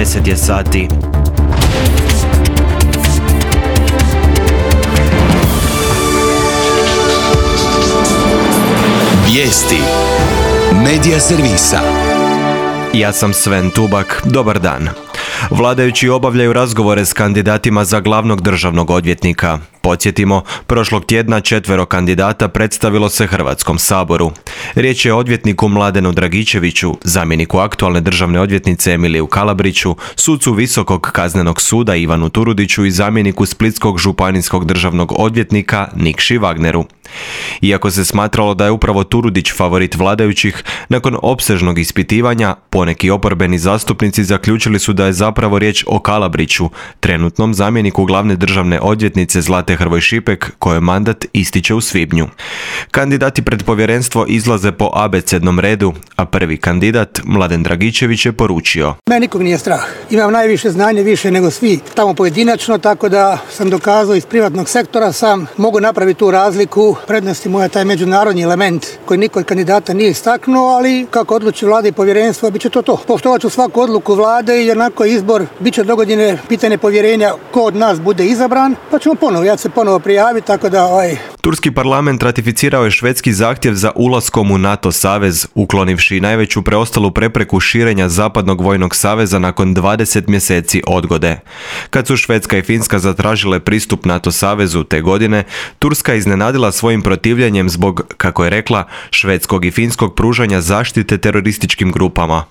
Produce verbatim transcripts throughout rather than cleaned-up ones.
deset je sati. Vijesti Medija servisa. Ja sam Sven Tubak, dobar dan. Vladajući obavljaju razgovore s kandidatima za glavnog državnog odvjetnika. Podsjetimo, prošlog tjedna četvero kandidata predstavilo se Hrvatskom saboru. Riječ je o odvjetniku Mladenu Dragičeviću, zamjeniku aktualne državne odvjetnice Emiliju Kalabriću, sucu Visokog kaznenog suda Ivanu Turudiću i zamjeniku Splitskog županijskog državnog odvjetnika Nikši Wagneru. Iako se smatralo da je upravo Turudić favorit vladajućih, nakon opsežnog ispitivanja, poneki oporbeni zastupnici zaključili su da je zapravo riječ o Kalabriću, trenutnom zamjeniku glavne državne odvjetnice Zlate Hrvoj Šipek, kojoj mandat ističe u svibnju. Kandidati pred povjerenstvo izlaze po abecednom redu, a prvi kandidat, Mladen Dragičević, je poručio: Mene nikog nije strah. Imam najviše znanje, više nego svi tamo pojedinačno, tako da sam dokazao iz privatnog sektora sam mogu napraviti tu razliku. Prednosti moja taj međunarodni element koji niko od kandidata nije istaknuo, ali kako odluči vlada i povjerenstvo, bit će to to. Poštovat ću svaku odluku vlade i onako izbor bit će dogodine pitanje povjerenja ko od nas bude izabran, pa ćemo ponovo, ja ću se ponovo prijaviti, tako da ovaj... Turski parlament ratificirao je švedski zahtjev za ulaskom u NATO savez, uklonivši najveću preostalu prepreku širenja Zapadnog vojnog saveza nakon dvadeset mjeseci odgode. Kad su Švedska i Finska zatražile pristup NATO savezu te godine, Turska iznenadila svojim protivljenjem zbog, kako je rekla, švedskog i finskog pružanja zaštite terorističkim grupama.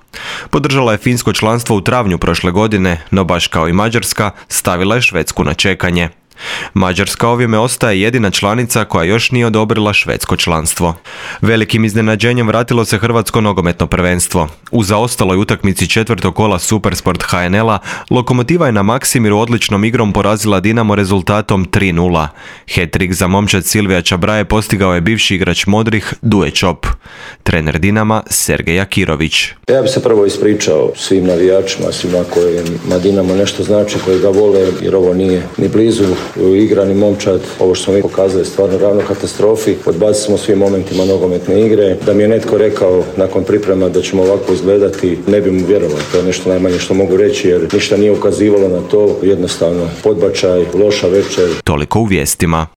Podržala je finsko članstvo u travnju prošle godine, no baš kao i Mađarska, stavila je Švedsku na čekanje. Mađarska ovime ostaje jedina članica koja još nije odobrila švedsko članstvo. Velikim iznenađenjem vratilo se hrvatsko nogometno prvenstvo. U zaostaloj utakmici četvrtog kola Supersport ha en el-a Lokomotiva je na Maksimiru odličnom igrom porazila Dinamo rezultatom tri nula. Hat-trick za momčad Silvija Čabraje postigao je bivši igrač Modrih Duje Čop. Trener Dinama Sergej Akirović. Ja bih se prvo ispričao svim navijačima, svima kojima Dinamo nešto znači, koji ga vole, jer ovo nije ni blizu igrani momčad. Ovo što smo mi pokazali stvarno ravno katastrofi. Odbacili smo svim momentima nogometne igre. Da mi je netko rekao nakon priprema da ćemo ovako izgledati, ne bi mu vjerovao. To je nešto najmanje što mogu reći, jer ništa nije ukazivalo na to. Jednostavno podbačaj, loša večer. Toliko u vijestima.